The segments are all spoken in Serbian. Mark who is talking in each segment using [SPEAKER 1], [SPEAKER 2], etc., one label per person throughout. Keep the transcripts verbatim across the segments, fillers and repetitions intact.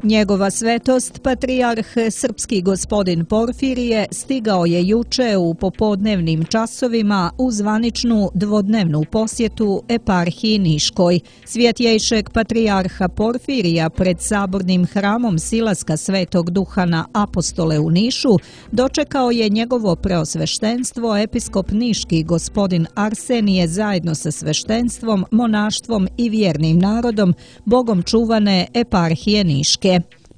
[SPEAKER 1] Njegova svetost, patrijarh srpski gospodin Porfirije, stigao je juče u popodnevnim časovima u zvaničnu dvodnevnu posjetu eparhiji Niškoj. Svjetjejšeg patrijarha Porfirija pred sabornim hramom Silaska Svetog Duha na Apostole u Nišu dočekao je njegovo preosveštenstvo episkop niški gospodin Arsenije zajedno sa sveštenstvom, monaštvom i vjernim narodom, bogom čuvane eparhije Niške.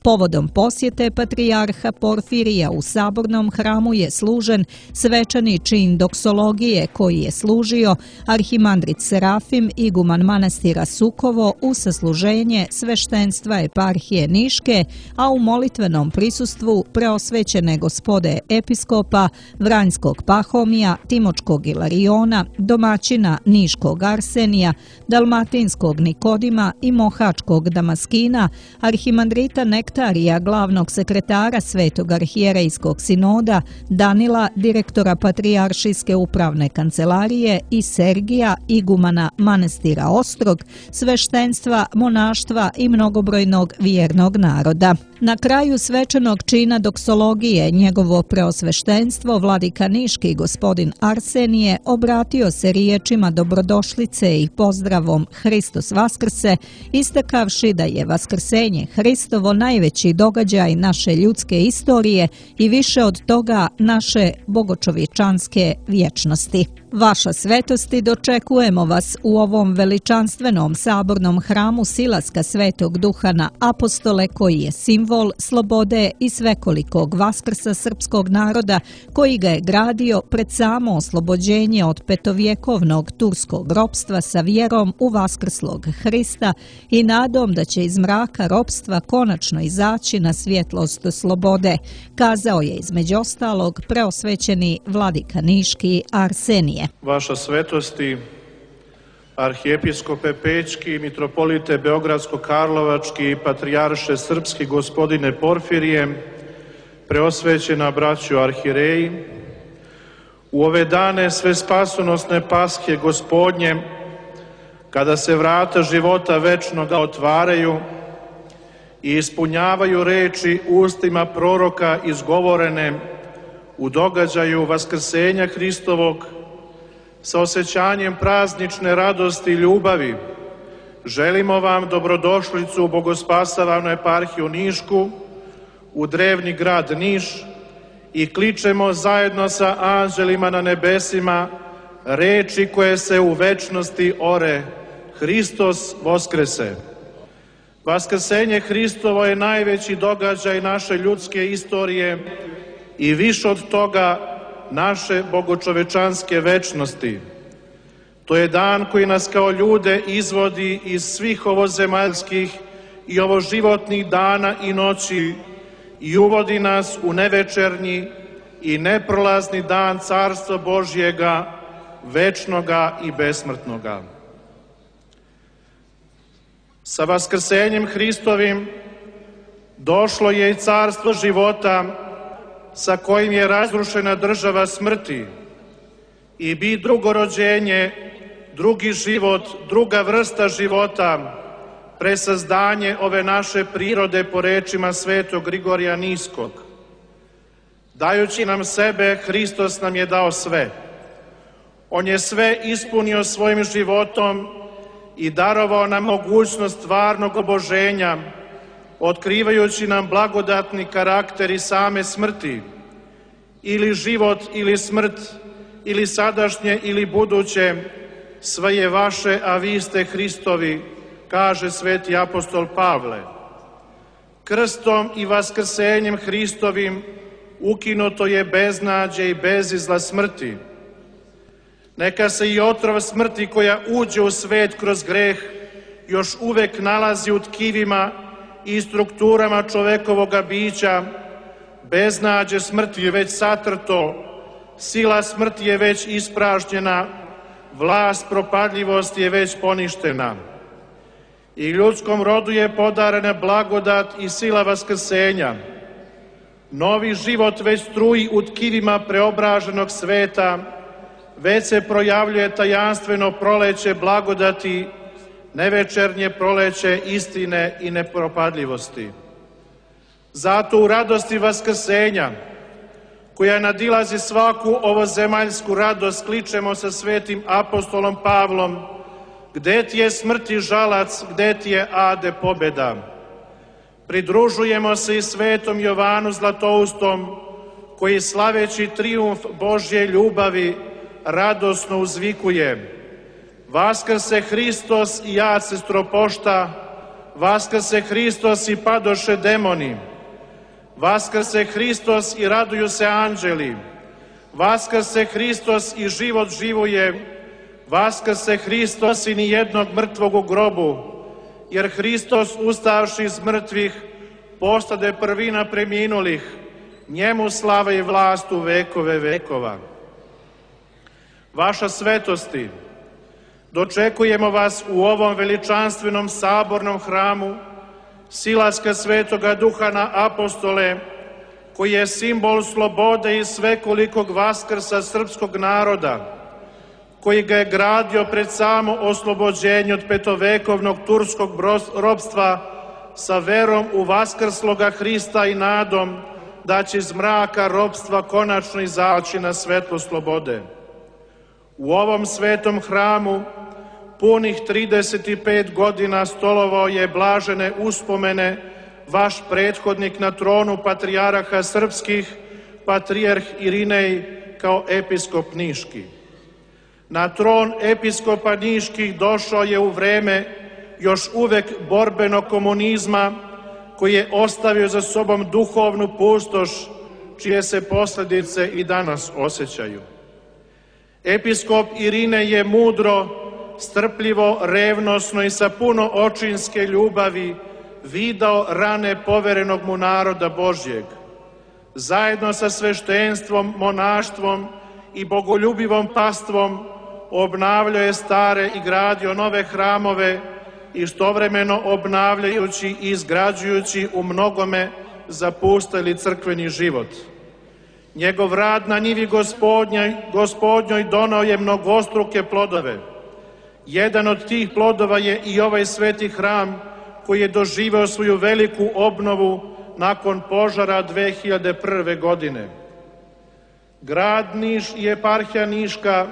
[SPEAKER 1] Povodom posjete patrijarha Porfirija u sabornom hramu je služen svečani čin doksologije koji je služio arhimandrit Serafim, iguman manastira Sukovo, u sasluženje sveštenstva eparhije Niške, a u molitvenom prisustvu preosvećene gospode episkopa Vranjskog Pahomija, Timočkog Ilariona, domaćina Niškog Arsenija, Dalmatinskog Nikodima i Mohačkog Damaskina, arhimandrita Nektarija, glavnog sekretara Svetog arhijerejskog sinoda, Danila, direktora Patrijaršijske upravne kancelarije, i Sergija, igumana manastira Ostrog, sveštenstva, monaštva i mnogobrojnog vjernog naroda. Na kraju svečanog čina doksologije njegovo preosveštenstvo vladika niški gospodin Arsenije obratio se riječima dobrodošlice i pozdravom Hristos Vaskrse, istakavši da je vaskrsenje Hristovo najveći događaj naše ljudske istorije i više od toga naše bogočovječanske vječnosti. Vaša svetosti, dočekujemo vas u ovom veličanstvenom sabornom hramu Silaska Svetog Duha na Apostole, koji je simbol slobode i svekolikog vaskrsa srpskog naroda, koji ga je gradio pred samo oslobođenje od petovjekovnog turskog ropstva sa vjerom u vaskrslog Hrista i nadom da će iz mraka ropstva konačno izaći na svjetlost slobode, kazao je između ostalog preosvećeni vladika niški Arsenije.
[SPEAKER 2] Vaša svetosti, arhijepiskope Pećki, mitropolite Beogradsko-Karlovački, patrijarše srpski gospodine Porfirije, preosvećena braćo arhijereji, u ove dane sve spasonosne paske gospodnje, kada se vrata života večnoga otvaraju i ispunjavaju reči ustima proroka izgovorene u događaju vaskrsenja Hristovog, sa osjećanjem praznične radosti i ljubavi, želimo vam dobrodošlicu u Bogospasavanu eparhiju Nišku, u drevni grad Niš, i kličemo zajedno sa anđelima na nebesima reči koje se u večnosti ore: Hristos Voskrese. Vaskrsenje Hristovo je najveći događaj naše ljudske istorije i više od toga naše bogočovečanske večnosti. To je dan koji nas kao ljude izvodi iz svih ovozemaljskih i ovoživotnih dana i noći i uvodi nas u nevečernji i neprolazni dan Carstva Božjega, večnoga i besmrtnoga. Sa vaskrsenjem Hristovim došlo je i carstvo života, sa kojim je razrušena država smrti, i bi drugo rođenje, drugi život, druga vrsta života, presazdanje ove naše prirode po rečima svetog Grigorija Niskog. Dajući nam sebe, Hristos nam je dao sve. On je sve ispunio svojim životom i darovao nam mogućnost stvarnog oboženja, otkrivajući nam blagodatni karakter i same smrti, ili život ili smrt, ili sadašnje ili buduće, sve je vaše, a vi ste Hristovi, kaže sveti apostol Pavle. Krstom i vaskrsenjem Hristovim ukinuto je beznađe i bezizla smrti. Neka se i otrov smrti koja uđe u svet kroz greh još uvek nalazi u tkivima i strukturama čovekovoga bića. Beznađe smrti je već satrto, sila smrti je već ispražnjena, vlast propadljivosti je već poništena. I ljudskom rodu je podarena blagodat i sila vaskrsenja. Novi život već struji u tkivima preobraženog sveta, već se projavljuje tajanstveno proleće blagodati, nevečernje proleće istine i nepropadljivosti. Zato u radosti vaskrsenja, koja nadilazi svaku ovozemaljsku radost, kličemo sa svetim apostolom Pavlom: gde ti je smrti žalac, gde ti je ade pobeda? Pridružujemo se i svetom Jovanu Zlatoustom, koji slaveći trijumf Božje ljubavi radosno uzvikuje: Vaskrse Hristos i jad se stropošta, vaskrse Hristos i padoše demoni, vaskrse Hristos i raduju se anđeli, vaskrse Hristos i život živoje, vaskrse Hristos i nijednog mrtvog u grobu, jer Hristos ustavši iz mrtvih postade prvina preminulih, njemu slava i vlast u vekove vekova. Vaša svetosti, dočekujemo vas u ovom veličanstvenom sabornom hramu, silaska Svetoga Duha na apostole, koji je simbol slobode i svekolikog vaskrsa srpskog naroda, koji ga je gradio pred samo oslobođenje od petovekovnog turskog ropstva sa verom u vaskrsloga Hrista i nadom da će iz mraka ropstva konačno izaći na svetlo slobode. U ovom svetom hramu punih trideset pet godina stolovao je blažene uspomene vaš prethodnik na tronu patrijaraha srpskih, patrijarh Irinej kao episkop Niški. Na tron episkopa Niških došao je u vreme još uvek borbenog komunizma, koji je ostavio za sobom duhovnu pustoš, čije se posljedice i danas osjećaju. Episkop Irinej je mudro, strpljivo, revnosno i sa puno očinske ljubavi vidao rane poverenog mu naroda Božjeg. Zajedno sa sveštenstvom, monaštvom i bogoljubivom pastvom obnavljao je stare i gradio nove hramove, istovremeno obnavljajući i izgrađujući u mnogome zapusteli crkveni život. Njegov rad na njivi gospodnjoj, gospodnjoj donao je mnogostruke plodove. Jedan od tih plodova je i ovaj sveti hram, koji je doživeo svoju veliku obnovu nakon požara dve hiljade prve. godine. Grad Niš i eparhija Niška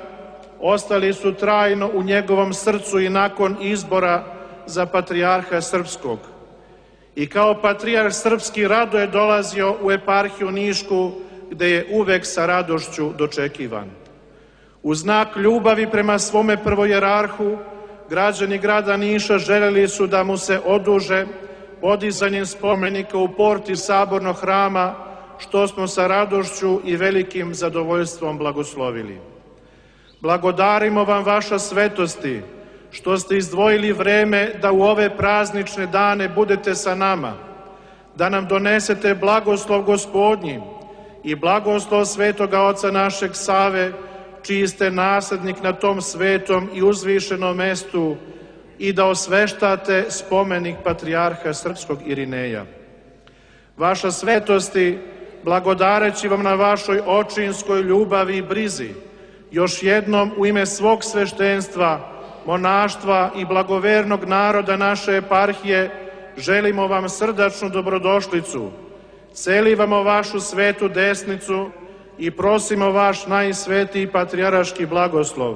[SPEAKER 2] ostali su trajno u njegovom srcu i nakon izbora za patrijarha srpskog. I kao patrijarh srpski rado je dolazio u eparhiju Nišku, gde je uvek sa radošću dočekivan. U znak ljubavi prema svome prvojerarhu, građani grada Niša želeli su da mu se oduže podizanjem spomenika u porti sabornog hrama, što smo sa radošću i velikim zadovoljstvom blagoslovili. Blagodarimo vam, vaša svetosti, što ste izdvojili vreme da u ove praznične dane budete sa nama, da nam donesete blagoslov Gospodnji i blagoslov svetoga Oca našeg Save, čiji ste naslednik na tom svetom i uzvišenom mestu, i da osveštate spomenik patrijarha srpskog Irineja. Vaša svetosti, blagodareći vam na vašoj očinskoj ljubavi i brizi, još jednom u ime svog sveštenstva, monaštva i blagovernog naroda naše eparhije, želimo vam srdačnu dobrodošlicu, celivamo vašu svetu desnicu i prosimo vaš najsvetiji patrijaraški blagoslov.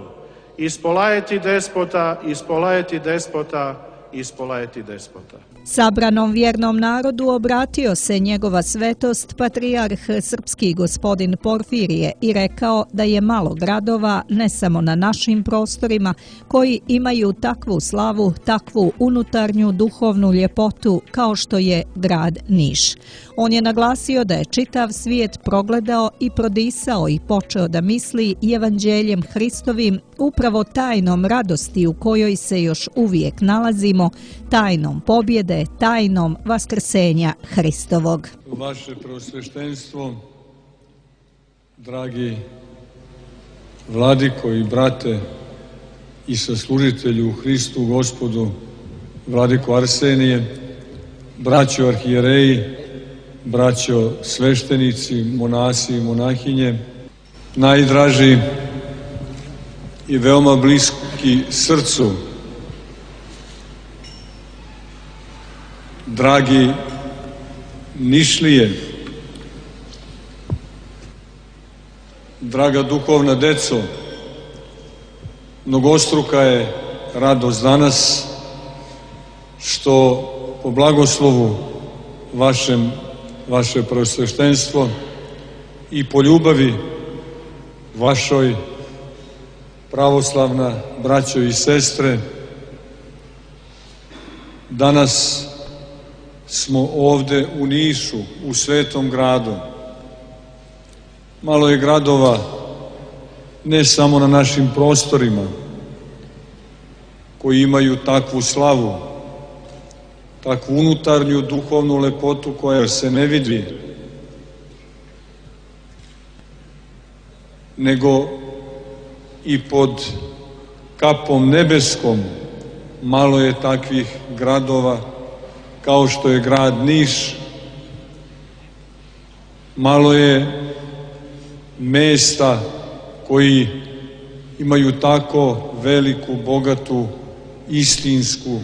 [SPEAKER 2] Ispolajeti despota, ispolajeti despota, ispolajeti despota.
[SPEAKER 1] Sabranom vjernom narodu obratio se njegova svetost patrijarh srpski gospodin Porfirije i rekao da je malo gradova, ne samo na našim prostorima, koji imaju takvu slavu, takvu unutarnju duhovnu ljepotu kao što je grad Niš. On je naglasio da je čitav svijet progledao i prodisao i počeo da misli evanđeljem Hristovim, upravo tajnom radosti u kojoj se još uvijek nalazimo, tajnom pobjede, tajnom vaskrsenja Hristovog.
[SPEAKER 3] Vaše preosveštenstvo, dragi vladiko i brate i saslužitelju u Hristu Gospodu, vladiko Arsenije, braćo arhijereji, braćo sveštenici, monasi i monahinje, najdraži i veoma bliski srcu. Dragi Nišlije, draga duhovna deco, mnogostruka je radost danas što po blagoslovu vašem, vaše preosveštenstvo i po ljubavi vašoj, pravoslavna braćo i sestre, danas smo ovde u Nišu, u Svetom gradu. Malo je gradova ne samo na našim prostorima koji imaju takvu slavu, takvu unutarnju duhovnu lepotu koja se ne vidi, nego i pod kapom nebeskom malo je takvih gradova kao što je grad Niš, malo je mesta koji imaju tako veliku, bogatu, istinsku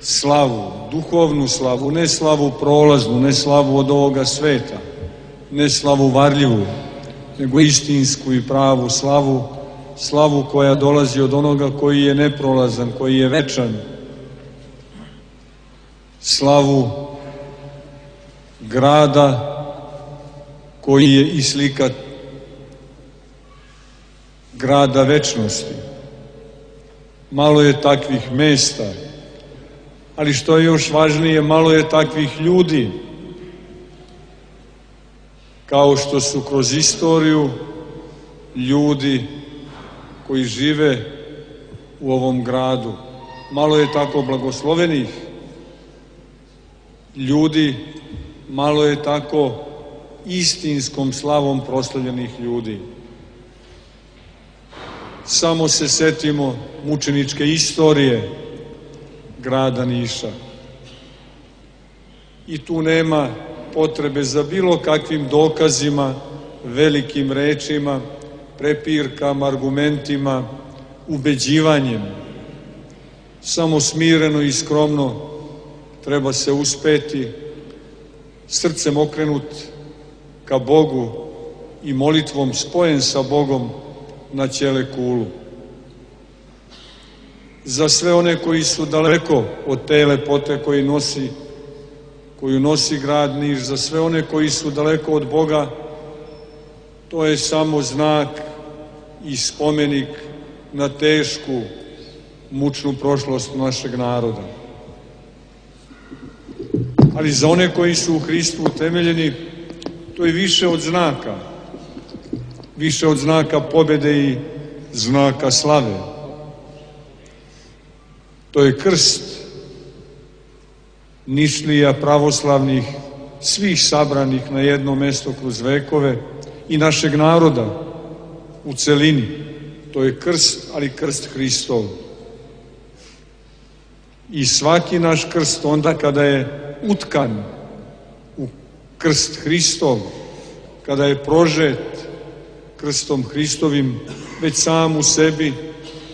[SPEAKER 3] slavu, duhovnu slavu, ne slavu prolaznu, ne slavu od ovoga sveta, ne slavu varljivu, nego istinsku i pravu slavu, slavu koja dolazi od onoga koji je neprolazan, koji je večan, slavu grada koji je i slika grada večnosti. Malo je takvih mesta, ali što je još važnije, malo je takvih ljudi, kao što su kroz istoriju ljudi koji žive u ovom gradu. Malo je tako blagoslovenih ljudi, malo je tako istinskom slavom proslavljenih ljudi. Samo se setimo mučeničke istorije grada Niša. I tu nema potrebe za bilo kakvim dokazima, velikim rečima, prepirkama, argumentima, ubeđivanjem. Samo smireno i skromno treba se uspeti, srcem okrenut ka Bogu i molitvom spojen sa Bogom na ćele kulu. Za sve one koji su daleko od te lepote koju nosi, koju nosi grad Niš, za sve one koji su daleko od Boga, to je samo znak i spomenik na tešku, mučnu prošlost našeg naroda. Ali za one koji su u Hristu utemeljeni, to je više od znaka, više od znaka pobjede i znaka slave. To je krst Nišlija pravoslavnih, svih sabranih na jedno mesto kroz vekove i našeg naroda u celini. To je krst, ali krst Hristov. I svaki naš krst onda kada je utkan u krst Hristov, kada je prožet krstom Hristovim, već sam u sebi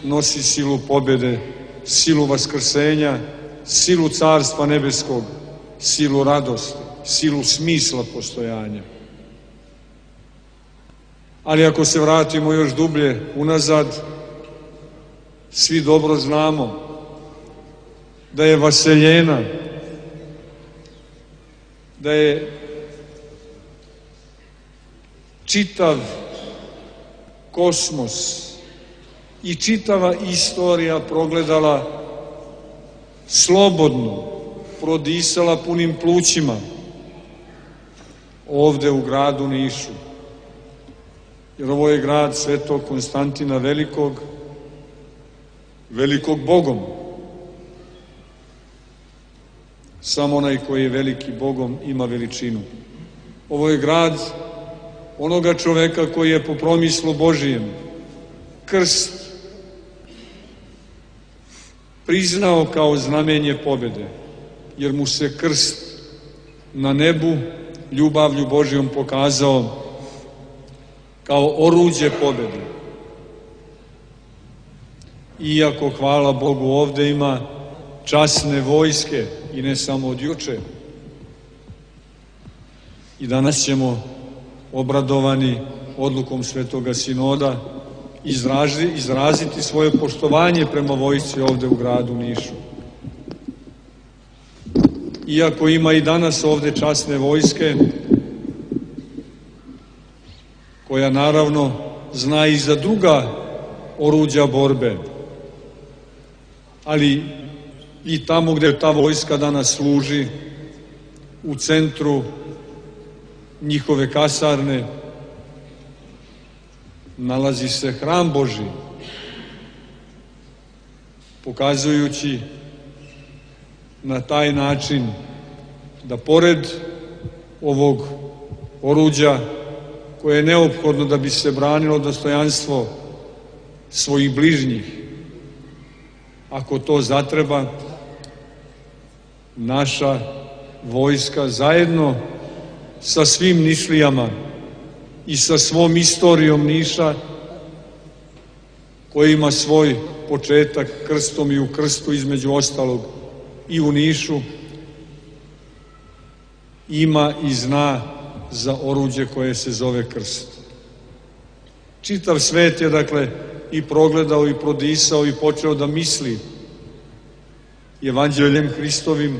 [SPEAKER 3] nosi silu pobjede, silu vaskrsenja, silu Carstva nebeskog, silu radosti, silu smisla postojanja. Ali ako se vratimo još dublje unazad, svi dobro znamo da je vaseljena, da je čitav kosmos i čitava istorija progledala slobodno, prodisala punim plućima ovde u gradu Nišu. Jer ovo je grad Svetog Konstantina Velikog, velikog Bogom. Samo onaj koji je veliki Bogom ima veličinu. Ovo je grad onoga čoveka koji je po promislu Božijem krst priznao kao znamenje pobjede, jer mu se krst na nebu ljubavlju Božijom pokazao kao oruđe pobjede. iako, hvala Bogu, ovde ima časne vojske i ne samo od juče. I danas ćemo, obradovani odlukom Svetoga Sinoda, izrazi, izraziti svoje poštovanje prema vojsci ovde u gradu Nišu. Iako ima i danas ovde časne vojske, koja naravno zna i za druga oruđa borbe, ali i tamo gde ta vojska danas služi, u centru njihove kasarne, nalazi se hram Božji, pokazujući na taj način da pored ovog oruđa koje je neophodno da bi se branilo dostojanstvo svojih bližnjih, ako to zatreba, naša vojska zajedno sa svim Nišlijama i sa svom istorijom Niša, koji ima svoj početak krstom i u krstu, između ostalog i u Nišu, ima i zna za oruđe koje se zove krst. Čitav svet je, dakle, i progledao i prodisao i počeo da misli Evanđeljem Hristovim,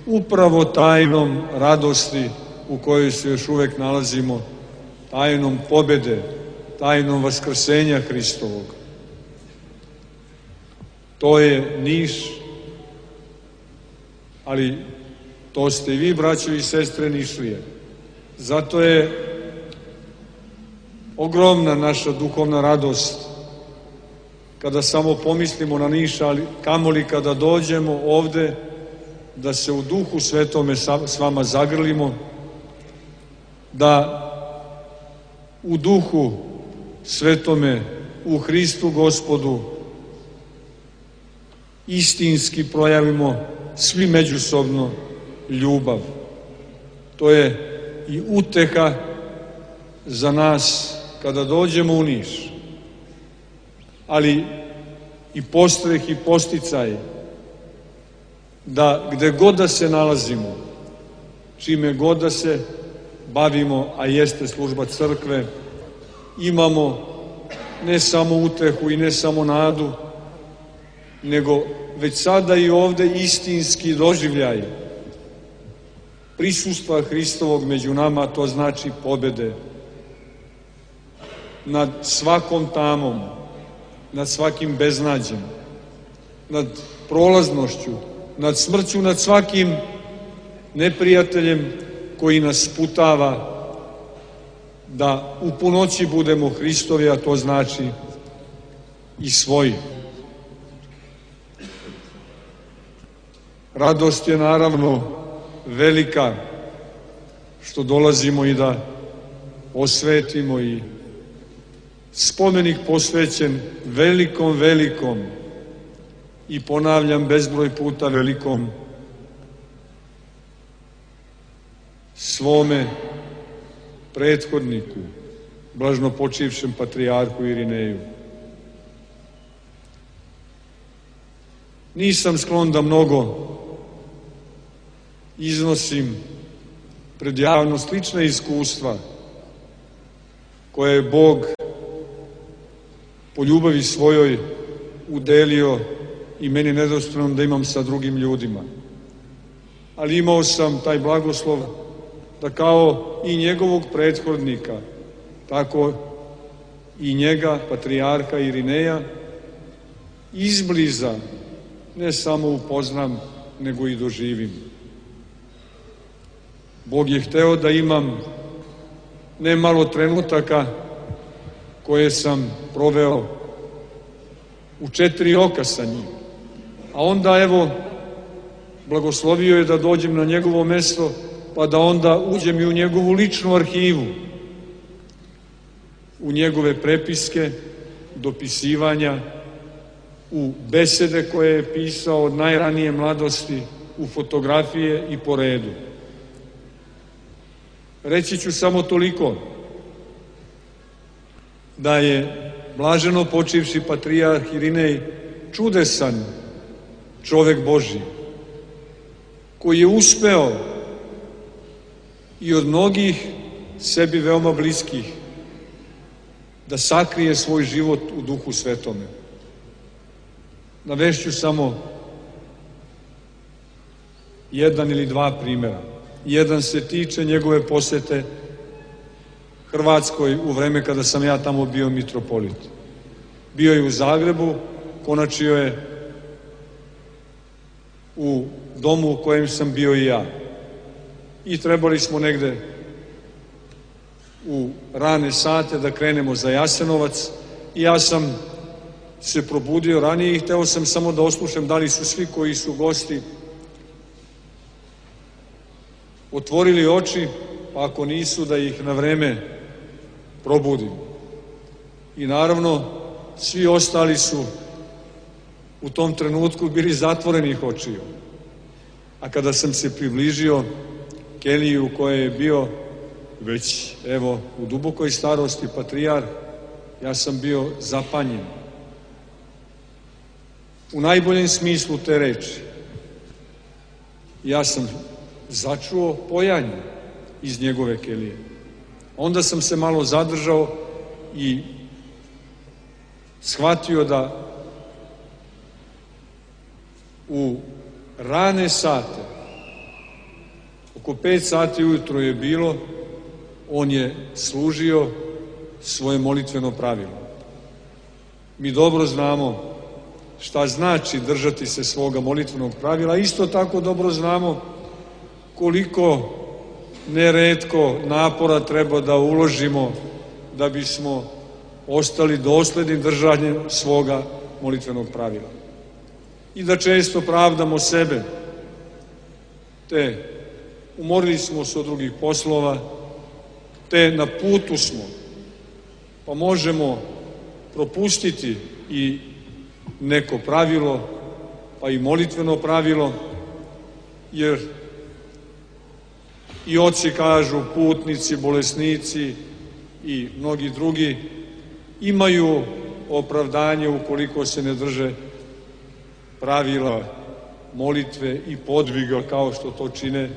[SPEAKER 3] upravo tajnom radosti u kojoj se još uvek nalazimo, tajnom pobede, tajnom vaskrsenja Hristovog. To je Niš, ali to ste i vi, braćo i sestre Nišlije. Zato je ogromna naša duhovna radost kada samo pomislimo na Niš, ali kamoli kada dođemo ovde da se u Duhu Svetome s vama zagrlimo, da u Duhu Svetome, u Hristu Gospodu, istinski projavimo svi međusobno ljubav. To je i uteha za nas kada dođemo u Niš, ali i postreh i posticaj da gde god da se nalazimo, čime god da se bavimo, a jeste služba crkve, imamo ne samo utehu i ne samo nadu, nego već sada i ovde istinski doživljaj prisustva Hristovog među nama, to znači pobede nad svakom tamom, nad svakim beznađem, nad prolaznošću, nad smrću, nad svakim neprijateljem koji nas sputava da u punoći budemo Hristovi, a to znači i svoji. Radost je naravno velika što dolazimo i da osvetimo i spomenik posvećen velikom, velikom i ponavljam bezbroj puta velikom svome prethodniku, blažnopočivšem patrijarhu Irineju. Nisam sklon da mnogo iznosim pred javnost lična iskustva koje je Bog po ljubavi svojoj udelio i meni nedostojnom da imam sa drugim ljudima. Ali imao sam taj blagoslov da kao i njegovog prethodnika, tako i njega, patrijarha Irineja, izbliza ne samo upoznam, nego i doživim. Bog je hteo da imam ne malo trenutaka koje sam proveo u četiri oka sa njim. A onda, evo, blagoslovio je da dođem na njegovo mesto, pa da onda uđem i u njegovu ličnu arhivu, u njegove prepiske, dopisivanja, u besede koje je pisao od najranije mladosti, u fotografije i po redu. Reći ću samo toliko, da je blaženo počivši patrijarh Irinej čudesan čovek Božji, koji je uspeo i od mnogih sebi veoma bliskih da sakrije svoj život u Duhu Svetome. Navešću samo jedan ili dva primjera. Jedan se tiče njegove posete Hrvatskoj u vreme kada sam ja tamo bio mitropolit. Bio je u Zagrebu, konačio je u domu u kojem sam bio i ja. I trebali smo negde u rane sate da krenemo za Jasenovac i ja sam se probudio ranije i hteo sam samo da oslušam da li su svi koji su gosti otvorili oči, pa ako nisu da ih na vreme probudim. I naravno svi ostali su u tom trenutku bili zatvorenih očiju. A kada sam se približio keliji u kojoj je bio već, evo, u dubokoj starosti patrijarh, ja sam bio zapanjen. U najboljem smislu te reči. Ja sam začuo pojanje iz njegove kelije. Onda sam se malo zadržao i shvatio da u rane sate, oko pet sati ujutro je bilo, on je služio svoje molitveno pravilo. Mi dobro znamo šta znači držati se svoga molitvenog pravila, isto tako dobro znamo koliko neretko napora treba da uložimo da bismo ostali dosledni držanjem svoga molitvenog pravila. I da često pravdamo sebe, te umorili smo se od drugih poslova, te na putu smo, pa možemo propustiti i neko pravilo, pa i molitveno pravilo, jer i oci kažu, putnici, bolesnici i mnogi drugi imaju opravdanje ukoliko se ne drže pravila molitve i podviga kao što to čine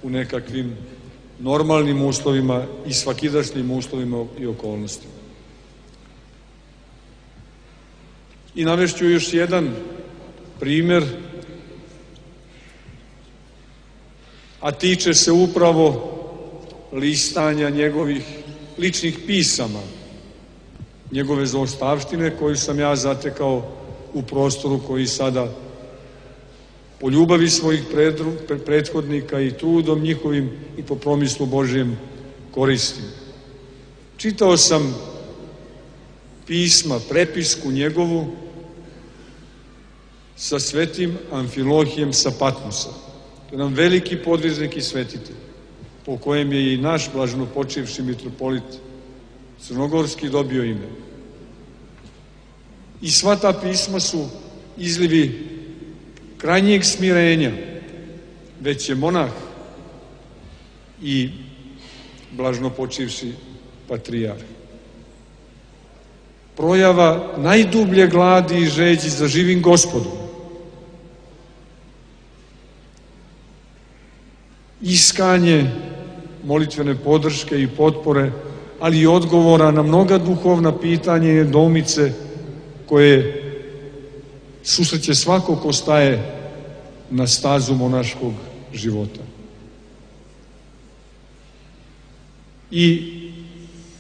[SPEAKER 3] u nekakvim normalnim uslovima i svakidašnjim uslovima i okolnostima. I navešću još jedan primer, a tiče se upravo listanja njegovih ličnih pisama, njegove zaostavštine koju sam ja zatekao u prostoru koji sada po ljubavi svojih prethodnika i trudom njihovim i po promislu Božijem koristim. Čitao sam pisma, prepisku njegovu sa svetim Amfilohijem sa Patmosa. To je nam veliki podviznik i svetitelj, po kojem je i naš blaženopočivši mitropolit crnogorski dobio ime. I sva ta pisma su izlivi krajnjeg smirenja, već je monah i blaženopočivši patrijarh. Projava najdublje gladi i žeđi za živim Gospodom. Iskanje molitvene podrške i potpore, ali i odgovora na mnoga duhovna pitanja i nedoumice koje susreće svako ko staje na stazu monaškog života. I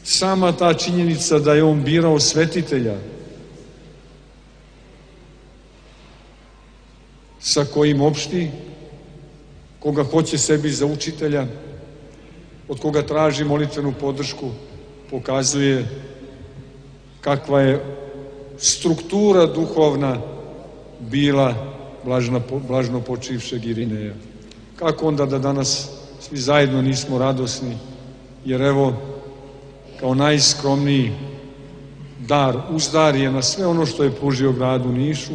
[SPEAKER 3] sama ta činjenica da je on birao svetitelja sa kojim opšti, koga hoće sebi za učitelja, od koga traži molitvenu podršku, pokazuje kakva je struktura duhovna bila blažno počivšeg Irineja. Kako onda da danas svi zajedno nismo radosni, jer evo, kao najskromniji dar, uzdar je na sve ono što je pružio gradu Nišu,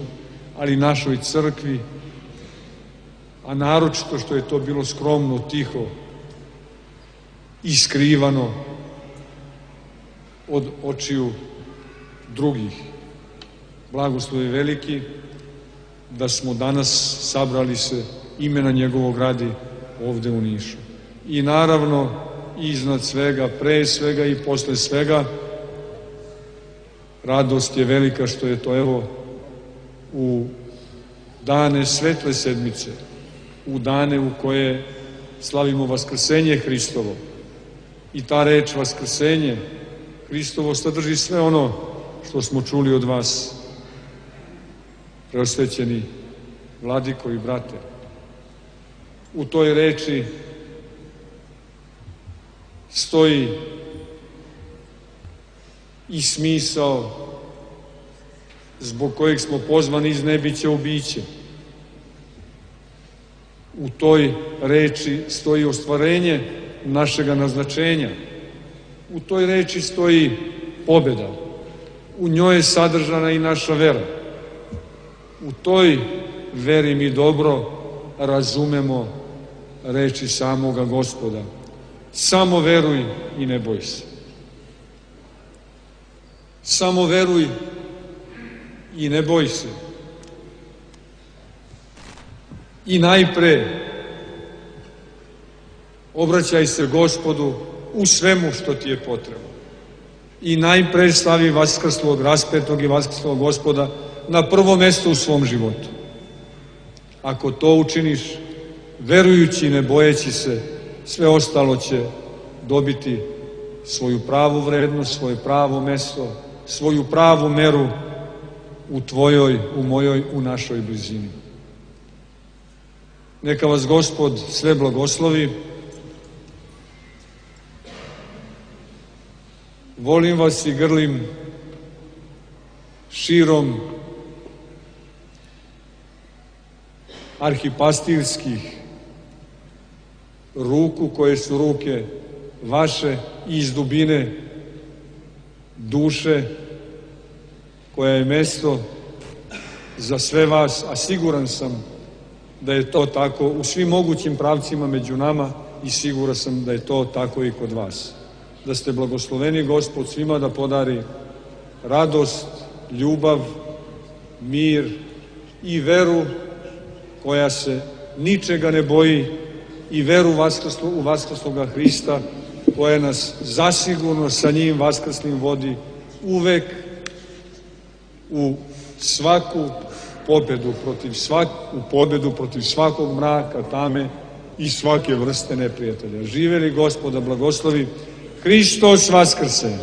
[SPEAKER 3] ali našoj crkvi, a naročito što je to bilo skromno, tiho i skrivano od očiju drugih. blagoslov je veliki da smo danas sabrali se imena njegovog radi ovde u Nišu. I naravno, iznad svega, pre svega i posle svega, radost je velika što je to, evo, u dane svetle sedmice, u dane u koje slavimo vaskrsenje Hristovo. I ta reč vaskrsenje Hristovo sadrži sve ono što smo čuli od vas, preosvećeni vladiko i brate. U toj reči stoji i smisao zbog kojeg smo pozvani iz nebića u biće. U toj reči stoji ostvarenje našega naznačenja. U toj reči stoji pobjeda. U njoj je sadržana i naša vera. U toj veri mi dobro razumemo reči samoga Gospoda. Samo veruj i ne boj se. Samo veruj i ne boj se. I najpre obraćaj se Gospodu u svemu što ti je potrebno. I najpre stavi vaskrslog, raspetog i vaskrslog Gospoda na prvo mesto u svom životu. Ako to učiniš, verujući i ne bojeći se, sve ostalo će dobiti svoju pravu vrednost, svoje pravo mesto, svoju pravu meru u tvojoj, u mojoj, u našoj blizini. Neka vas Gospod sve blagoslovi. Volim vas i grlim širom arhipastirskih ruku, koje su ruke vaše, i iz dubine duše, koja je mesto za sve vas, a siguran sam da je to tako u svim mogućim pravcima među nama i siguran sam da je to tako i kod vas. Da ste blagosloveni Gospod svima da podari radost, ljubav, mir i veru koja se ničega ne boji, i veru u vaskrsloga Hrista, koja nas zasigurno sa njim vaskrslim vodi uvek u svaku pobedu protiv svak, u pobedu protiv svakog mraka, tame i svake vrste neprijatelja. Živeli Gospoda blagoslovi, Hristos vaskrse!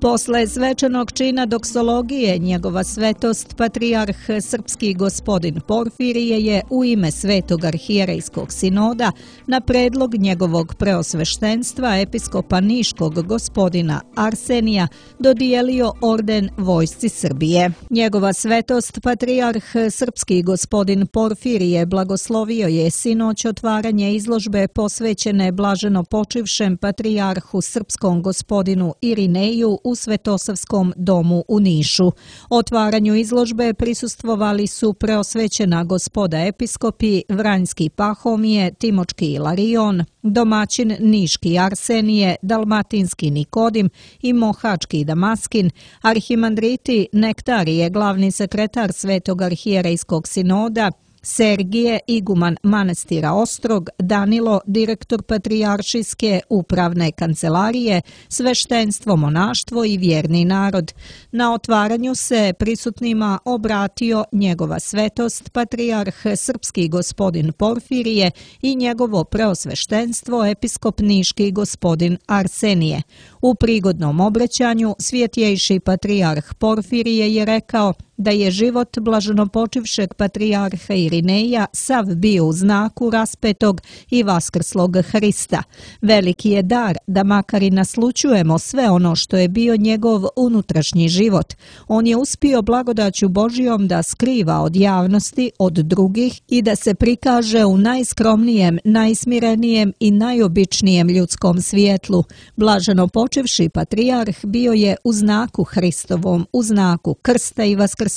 [SPEAKER 1] Posle svečanog čina doksologije, njegova svetost patrijarh srpski gospodin Porfirije je u ime Svetog arhijerejskog sinoda na predlog njegovog preosveštenstva episkopa Niškog gospodina Arsenija dodijelio orden Vojsci Srbije. Njegova svetost patrijarh srpski gospodin Porfirije blagoslovio je sinoć otvaranje izložbe posvećene blaženo počivšem patrijarhu srpskom gospodinu Irineju u Svetosavskom domu u Nišu. Otvaranju izložbe prisustvovali su preosvećena gospoda episkopi Vranjski Pahomije, Timočki Ilarion, domaćin Niški Arsenije, Dalmatinski Nikodim i Mohački Damaskin, arhimandriti Nektarije, glavni sekretar Svetog arhijerejskog sinoda, Sergije, iguman manastira Ostrog, Danilo, direktor patrijaršijske upravne kancelarije, sveštenstvo, monaštvo i vjerni narod. Na otvaranju se prisutnima obratio njegova svetost patrijarh srpski gospodin Porfirije i njegovo preosveštenstvo episkop Niški gospodin Arsenije. U prigodnom obraćanju svjetjejši patrijarh Porfirije je rekao da je život blaženopočivšeg patrijarha Irineja sav bio u znaku raspetog i vaskrslog Hrista. Veliki je dar da makar i naslućujemo sve ono što je bio njegov unutrašnji život. On je uspio blagodaću Božijom da skriva od javnosti, od drugih i da se prikaže u najskromnijem, najsmirenijem i najobičnijem ljudskom svijetlu. Blaženopočivši patrijarh bio je u znaku Hristovom, u znaku krsta i vaskrsenja,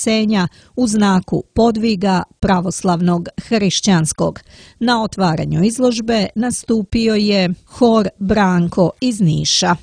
[SPEAKER 1] u znaku podviga pravoslavnog hrišćanskog. Na otvaranju izložbe nastupio je hor Branko iz Niša.